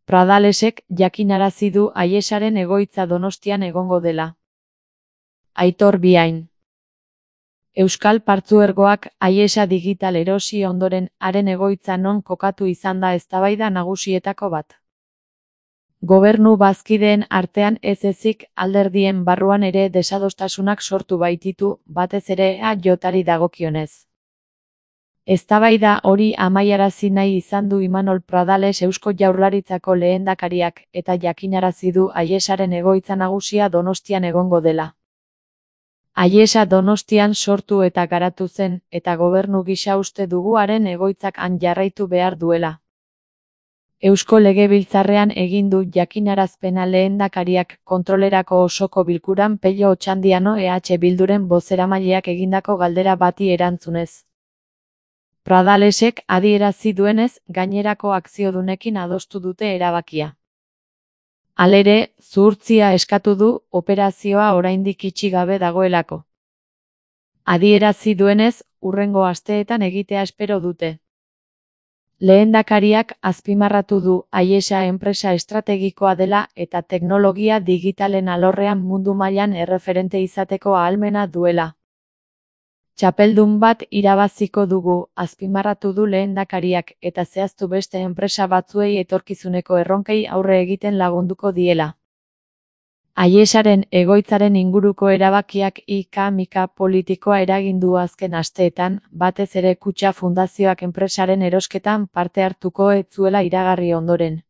Pradalesek jakinarazi du Aiesaren egoitza Donostian egongo dela. Aitor Biain. Euskal Partzuergoak Aiesa Digital erosi ondoren haren egoitza non kokatu izan da eztabaida nagusietako bat. Gobernu bazkideen artean ez ezik alderdien barruan ere desadostasunak sortu baititu, batez ere EAJari dagokionez. Eztabaida hori amaiarazi nahi izan du Imanol Pradales Eusko Jaurlaritzako lehendakariak eta jakinarazi du Aiesaren egoitza nagusia Donostian egongo dela. Aiesa Donostian sortu eta garatu zen, eta gobernu gisa uste dugu haren egoitzak han jarraitu behar duela. Eusko Legebiltzarrean egin du jakinarazpena lehendakariak kontrolerako osoko bilkuran Pello Otxandiano EH Bilduren bozeramaileak egindako galdera bati erantzunez. Pradalesek adierazi duenez, gainerako akziodunekin adostu dute erabakia. Halere, zuhurtzia eskatu du, operazioa oraindik itxi gabe dagoelako. Adierazi duenez, hurrengo asteetan egitea espero dute. Lehendakariak azpimarratu du Aiesa enpresa estrategikoa dela eta teknologia digitalen alorrean mundu mailan erreferente izateko ahalmena duela. Txapeldun bat irabaziko dugu, azpimarratu du lehendakariak, eta zehaztu beste enpresa batzuei etorkizuneko erronkei aurre egiten lagunduko diela. Aiesaren egoitzaren inguruko erabakiak ika-mika politikoa eragin du azken asteetan, batez ere Kutxa Fundazioak enpresaren erosketan parte hartuko ez zuela iragarri ondoren.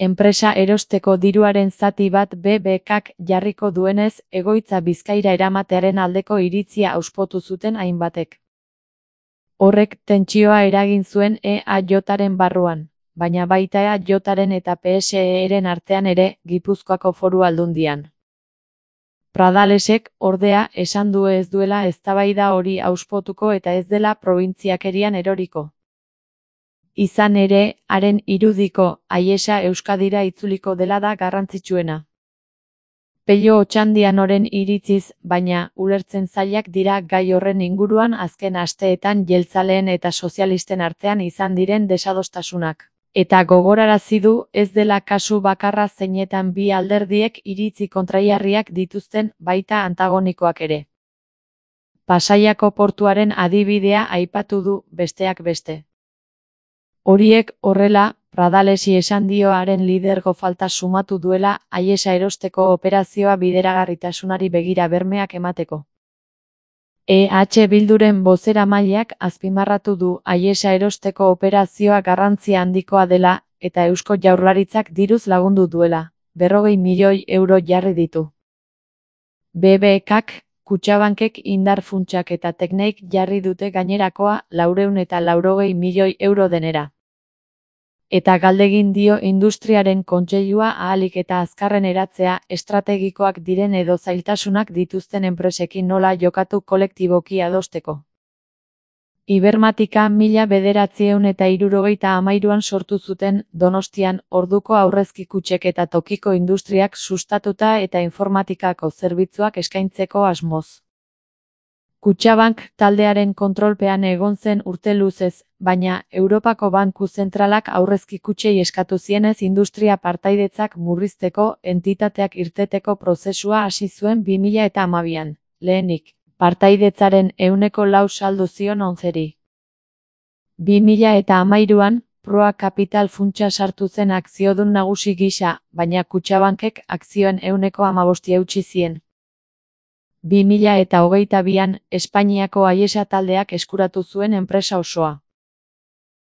Enpresa erosteko diruaren zati bat BBKk jarriko duenez, egoitza Bizkaira eramatearen aldeko iritzia auspotu zuten hainbatek. Horrek tentsioa eragin zuen EAJaren barruan, baina baita EAJaren eta PSEren artean ere, Gipuzkoako Foru Aldundian. Pradalesek, ordea, esan du ez duela eztabaida hori auspotuko eta ez dela probintziakerian eroriko. Izan ere, haren irudiko, Aiesa Euskadira itzuliko dela da garrantzitsuena. Pello Otxandianoren iritziz, baina, ulertzen zailak dira gai horren inguruan azken asteetan jeltzaleen eta sozialisten artean izan diren desadostasunak. Eta gogorarazi du ez dela kasu bakarra zeinetan bi alderdiek iritzi kontraiarriak dituzten, baita antagonikoak ere. Pasaiako portuaren adibidea aipatu du, besteak beste. Horiek horrela, Pradalesi esan dio haren lidergo falta sumatu duela Aiesa erosteko operazioa bideragarritasunari begira bermeak emateko. EH Bilduren bozeramaileak azpimarratu du Aiesa erosteko operazioa garrantzia handikoa dela eta Eusko Jaurlaritzak diruz lagundu duela, 40 milioi euro jarri ditu. BBKk, Kutxabankek indar funtsak eta tekneik jarri dute gainerakoa 480 milioi euro denera. Eta galdegin dio industriaren kontseilua ahalik eta azkarren eratzea estrategikoak diren edo zailtasunak dituzten enpresekin nola jokatu kolektiboki adosteko. Ibermatika 1973an sortu zuten Donostian orduko aurrezki kutxek eta tokiko industriak sustatuta eta informatikako zerbitzuak eskaintzeko asmoz. Kutxabank taldearen kontrolpean egon zen urte luzez, baina Europako Banku Zentralak aurrezki kutxei eskatu zienez industria partaidetzak murrizteko entitateak irteteko prozesua hasi zuen 2012an, lehenik, partaidetzaren 4% saldu zion 11ri. 2013an, Proa Capital funtsa sartu zen akziodun nagusi gisa, baina Kutxabankek akzioen 15% eutsi zien. 2022an, Espainiako Aiesa taldeak eskuratu zuen enpresa osoa.